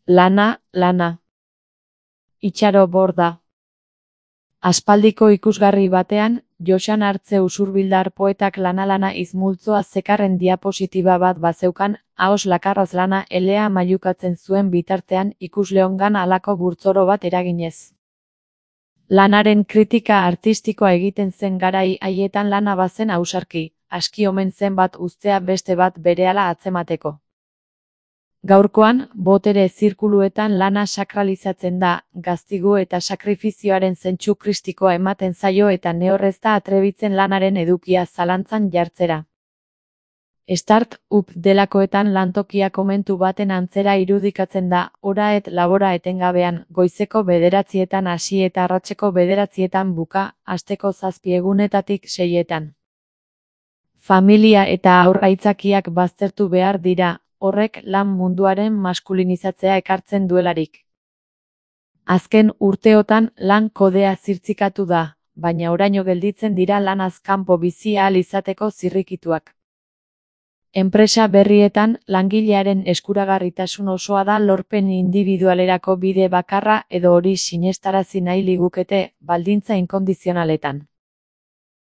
Lana. Itxaro borda. Aspaldiko ikusgarri batean, Joxan Artze usurbildar poetak lana izmultzoa zekarren diapositiba bat bazeukan, ahoz lakarraz lana elea mailukatzen zuen bitartean ikusleongan halako burtzoro bat eraginez. Lanaren kritika artistikoa egiten zen garai haietan lana bazen ausarki, aski omen zen bat uztea beste bat berehala atzemateko. Gaurkoan, botere zirkuluetan lana sakralizatzen da, gaztigu eta sakrifizioaren zentsu kristikoa ematen zaio eta nehorrez da atrebitzen lanaren edukia zalantzan jartzera. Start-up delakoetan lantokia komentu baten antzera irudikatzen da, ora et labora etengabean, goizeko 9etan hasi eta arratseko 9etan buka, asteko 7 egunetatik 6etan. Familia eta haur aitzakiak baztertu behar dira, horrek lan munduaren maskulinizatzea ekartzen duelarik. Azken urteotan lan kodea zirtzikatu da, baina oraino gelditzen dira lanaz kanpo bizi ahal izateko zirrikituak. Enpresa berrietan, langilearen eskuragarritasun osoa da lorpen indibidualerako bide bakarra edo hori sinestarazi nahi ligukete, baldintza inkondizionaletan.